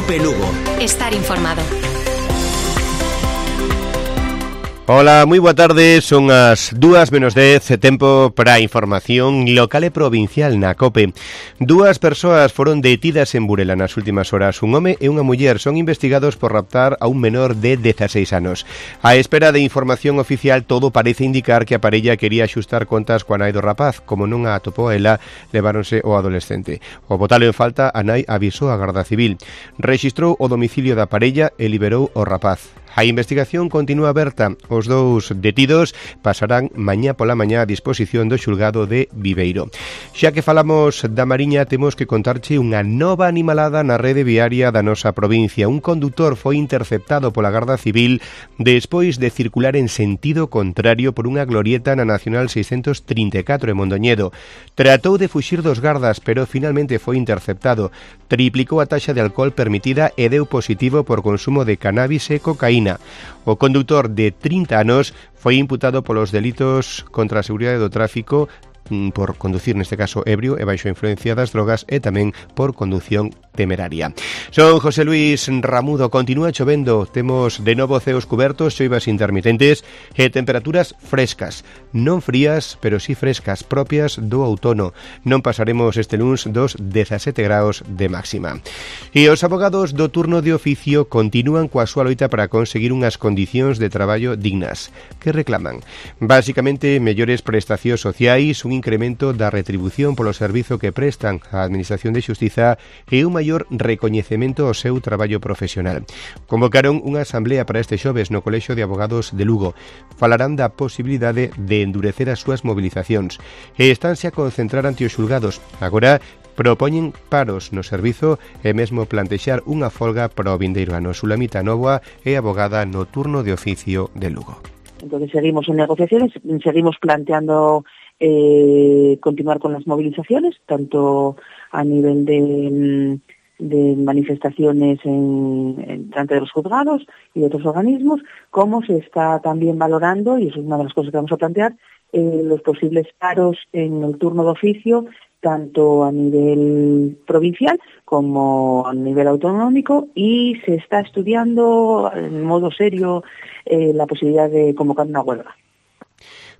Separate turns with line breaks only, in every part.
COPE Lugo.
Estar informado.
Ola, moi boa tarde, son as 2:10, tempo para a información local e provincial na COPE. 2 persoas foron detidas en Burela nas últimas horas. Un home e unha muller son investigados por raptar a un menor de 16 anos. A espera de información oficial, todo parece indicar que a parella quería axustar contas coa nai do rapaz. Como non a atopou a ela, leváronse o adolescente. O botalo en falta, a nai avisou a Garda Civil. Rexistrou o domicilio da parella e liberou o rapaz. A investigación continúa aberta. Os dous detidos pasarán mañá pola mañá a disposición do xulgado de Viveiro. Xa que falamos da Mariña, temos que contarche unha nova animalada na rede viaria da nosa provincia. Un condutor foi interceptado pola Garda Civil despois de circular en sentido contrario por unha glorieta na Nacional 634 en Mondoñedo. Tratou de fuxir dos gardas, pero finalmente foi interceptado. Triplicou a taxa de alcohol permitida e deu positivo por consumo de cannabis e cocaína. O condutor de 30 anos foi imputado polos delitos contra a seguridade do tráfico por conducir, neste caso, ebrio e baixo a influencia das drogas e tamén por condución temeraria. Son José Luis Ramudo. Continúa chovendo, temos de novo ceos cubertos, choivas intermitentes e temperaturas frescas, non frías, pero sí frescas, propias do outono. Non pasaremos este luns dos 17 graus de máxima. E os abogados do turno de oficio continúan coa súa loita para conseguir unhas condicións de traballo dignas. Que reclaman? Básicamente, mellores prestacións sociais, un incremento da retribución polo servizo que prestan á Administración de Xustiza e un maior recoñecemento ao seu traballo profesional. Convocaron unha asamblea para este xoves no Colexio de Abogados de Lugo. Falarán da posibilidade de endurecer as súas movilizacións e estánse a concentrar ante os xulgados. Agora propoñen paros no servizo e mesmo plantexar unha folga para o vindeiro ano. Sulamita Novoa é abogada no turno de oficio de Lugo.
Entonces seguimos en negociaciones, seguimos planteando continuar con las movilizaciones, tanto a nivel de manifestaciones delante de los juzgados y de otros organismos, como se está también valorando, y eso es una de las cosas que vamos a plantear, los posibles paros en el turno de oficio, tanto a nivel provincial como a nivel autonómico, y se está estudiando en modo serio la posibilidad de convocar una huelga.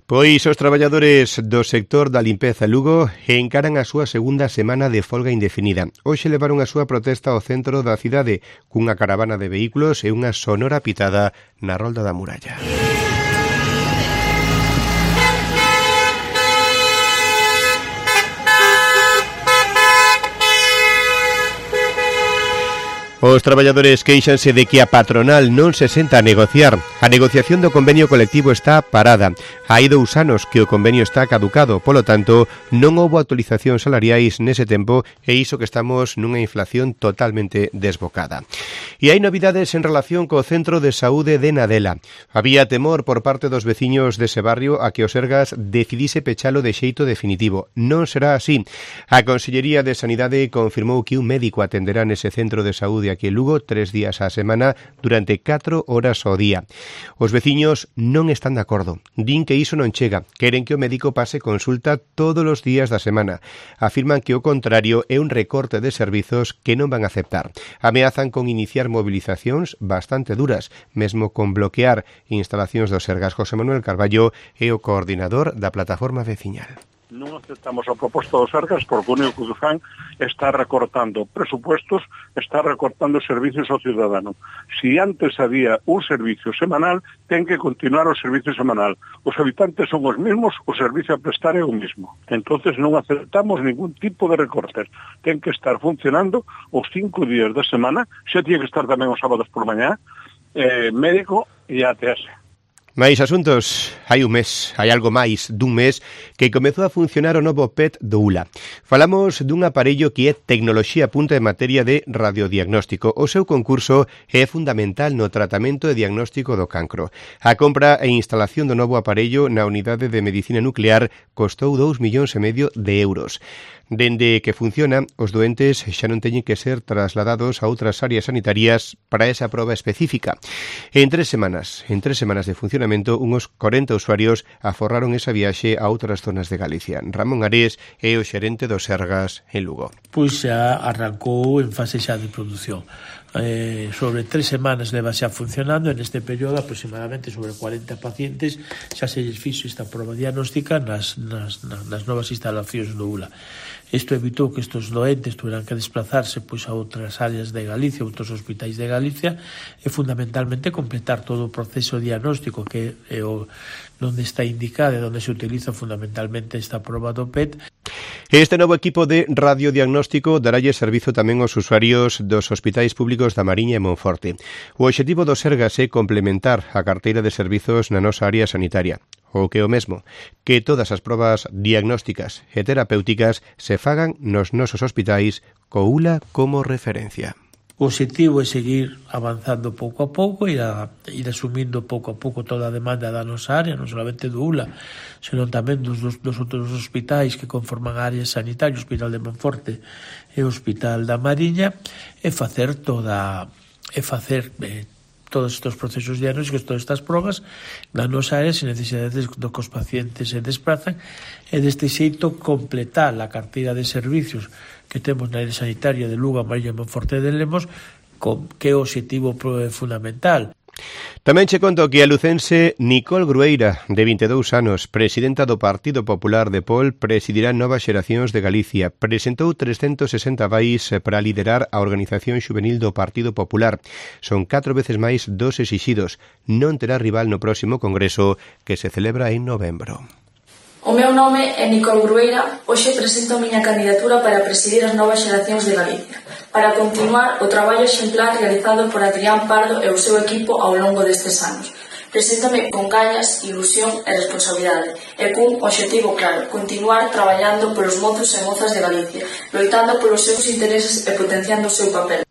Pois os traballadores do sector da limpeza Lugo encaran a súa segunda semana de folga indefinida. Hoxe levaron a súa protesta ao centro da cidade cunha caravana de vehículos e unha sonora pitada na rolda da muralla. Os traballadores queixanse de que a patronal non se senta a negociar. A negociación do convenio colectivo está parada. Hai 2 anos que o convenio está caducado, polo tanto, non houbo actualizacións salariais nese tempo e iso que estamos nunha inflación totalmente desbocada. E hai novidades en relación co Centro de Saúde de Nadela. Había temor por parte dos veciños dese barrio a que o Sergas decidise pechalo de xeito definitivo. Non será así. A Consellería de Sanidade confirmou que un médico atenderá nese centro de saúde aquí en Lugo 3 días á semana durante 4 horas ao día. Os veciños non están de acordo. Din que iso non chega. Queren que o médico pase consulta todos os días da semana. Afirman que o contrario é un recorte de servizos que non van a aceptar. Ameazan con iniciar movilizacións bastante duras, mesmo con bloquear instalacións do Sergas. José Manuel Carballo é o coordinador da plataforma veciñal.
Non aceptamos a proposta dos Sergas porque o único que fan está recortando presupuestos, está recortando servicios ao cidadano. Si antes había un servicio semanal, ten que continuar o servicio semanal. Os habitantes son os mesmos, o servicio a prestar é o mismo. Entonces non aceptamos ningún tipo de recortes. Ten que estar funcionando os 5 días da semana, xa tiene que estar tamén os sábados por mañá, médico e ATS.
Mais asuntos, hai algo máis dun mes que comezou a funcionar o novo PET do ULA. Falamos dun aparello que é tecnoloxía punta en materia de radiodiagnóstico. O seu concurso é fundamental no tratamento e diagnóstico do cancro. A compra e instalación do novo aparello na unidade de medicina nuclear costou 2,5 millóns de euros. Dende que funciona, os doentes xa non teñen que ser trasladados a outras áreas sanitarias para esa proba específica. En 3 semanas de funcionamento, unos 40 usuarios aforraron esa viaxe a outras zonas de Galicia. Ramón Arés é o xerente do Sergas en Lugo.
Pois xa arrancou en fase xa de produción.
sobre 3 semanas leva xa funcionando, e neste período aproximadamente sobre 40 pacientes xa se lles fixo esta proba diagnóstica nas novas instalacións do ULA. Isto evitou que estes doentes tuveran que desplazarse pois a outras áreas de Galicia, outros hospitais de Galicia, e fundamentalmente completar todo o proceso diagnóstico que é onde está indicada e onde se utiliza fundamentalmente esta proba do PET.
Este novo equipo de radiodiagnóstico daralle servizo tamén aos usuarios dos hospitais públicos da Mariña e Monforte. O obxectivo do Sergas é complementar a carteira de servizos na nosa área sanitaria. O que é o mesmo, que todas as probas diagnósticas e terapéuticas se fagan nos nosos hospitais co ULA como referencia.
O objetivo é seguir avanzando pouco a pouco e ir asumindo pouco a pouco toda a demanda da nosa área, non solamente do ULA, senón tamén dos outros hospitais que conforman a área sanitaria, o Hospital de Monforte e o Hospital da Mariña, e facer todos estes procesos diagnósticos, todas estas probas na nosa área sin necesidade do que os pacientes se desplazan, e deste xeito completar a carteira de servicios que temos na área sanitaria de Lugo, Mariña e Monforte de Lemos, que é o objetivo fundamental.
Tamén che conto que a lucense Nicole Grueira, de 22 anos, presidenta do Partido Popular de Pol, presidirá Novas Xeracións de Galicia. Presentou 360 vais para liderar a organización xuvenil do Partido Popular. Son 4 veces máis dos exixidos. Non terá rival no próximo congreso, que se celebra en novembro.
O meu nome é Nicole Grueira. Hoxe presento a miña candidatura para presidir as Novas Xeracións de Galicia, para continuar o traballo exemplar realizado por Adrián Pardo e o seu equipo ao longo destes anos. Preséntame con gañas, ilusión e responsabilidade, e cun obxectivo claro: continuar traballando polos mozos e mozas de Galicia, loitando polos seus intereses e potenciando o seu papel.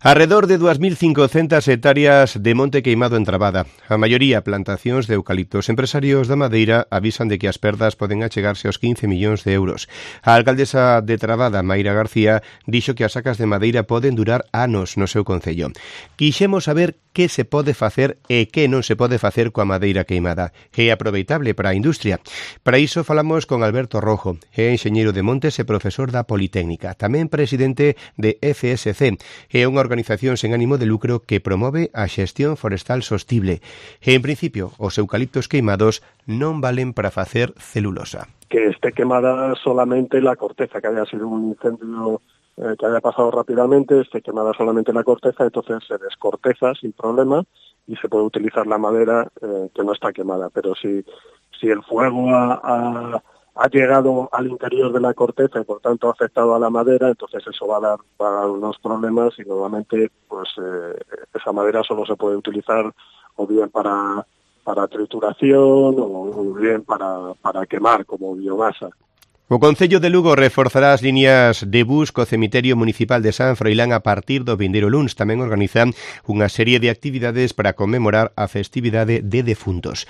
Arredor de 2.500 hectáreas de monte queimado en Trabada, a maioría plantacións de eucaliptos. Empresarios da Madeira avisan de que as perdas poden achegarse aos 15 millóns de euros. A alcaldesa de Trabada, Mayra García, dixo que as sacas de madeira poden durar anos no seu concello. Quixemos saber que se pode facer e que non se pode facer coa madeira queimada. É aproveitable para a industria. Para iso falamos con Alberto Rojo, é enxeñeiro de montes e profesor da Politécnica, tamén presidente de FSC, é unha organización sen ánimo de lucro que promove a xestión forestal sostible. E, en principio, os eucaliptos queimados non valen para facer celulosa.
Que esté quemada solamente la corteza, que haya sido un incendio que haya pasado rápidamente, esté quemada solamente la corteza, entonces se descorteza sin problema y se puede utilizar la madera que no está quemada. Pero si el fuego ha llegado al interior de la corteza y por tanto ha afectado a la madera, entonces eso va a dar unos problemas y normalmente pues esa madera solo se puede utilizar o bien para trituración o bien para quemar como biomasa.
O Concello de Lugo reforzará as líneas de bus co cemiterio municipal de San Froilán a partir do vindeiro luns. Tamén organizan unha serie de actividades para conmemorar a festividade de defuntos.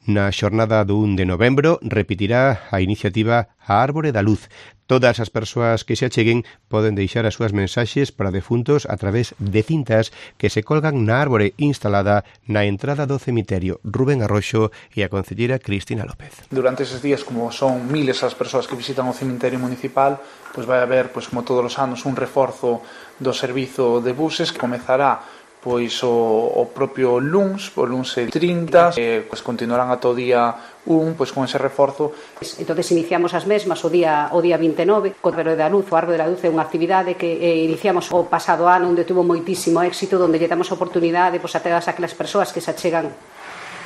Na xornada do 1 de novembro repetirá a iniciativa A Árbore da Luz. Todas as persoas que se acheguen poden deixar as súas mensaxes para defuntos a través de cintas que se colgan na árbore instalada na entrada do cemiterio. Rubén Arroxo e a concelleira Cristina López.
Durante eses días, como son miles as persoas que visitan o cemiterio municipal, pois vai haber, pois como todos os anos, un reforzo do servizo de buses que comezará pois o propio luns, o luns 30, pois continuarán ata o día 1, pois con ese reforzo.
Entonces iniciamos as mesmas o día 29, co Árbore da Luz. O Árbore da Luz é unha actividade que iniciamos o pasado ano, onde tuvo moitísimo éxito, onde lle damos a oportunidade pois, a todas aquelas persoas que se achegan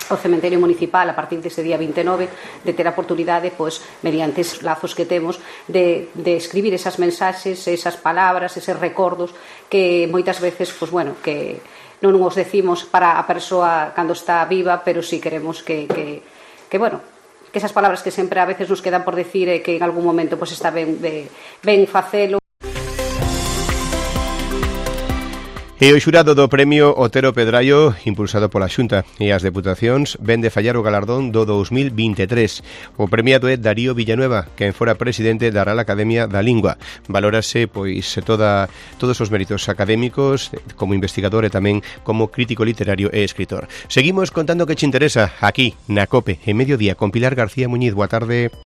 ao cementerio municipal a partir dese día 29 de ter a oportunidade, pois, mediante os lazos que temos, de escribir esas mensaxes, esas palabras, eses recordos que moitas veces, pois, bueno, que non os decimos para a persoa cando está viva, pero si queremos que bueno, que esas palabras que sempre a veces nos quedan por decir e que en algún momento pois está ben facelo.
E o xurado do premio Otero Pedraio, impulsado pola Xunta e as Deputacións, ven de fallar o galardón do 2023. O premiado é Darío Villanueva, quen fora presidente da Real Academia da Lingua. Valórase pois todos os méritos académicos como investigador e tamén como crítico literario e escritor. Seguimos contando que che interesa aquí na COPE, en Mediodía, con Pilar García Muñiz. Boa tarde.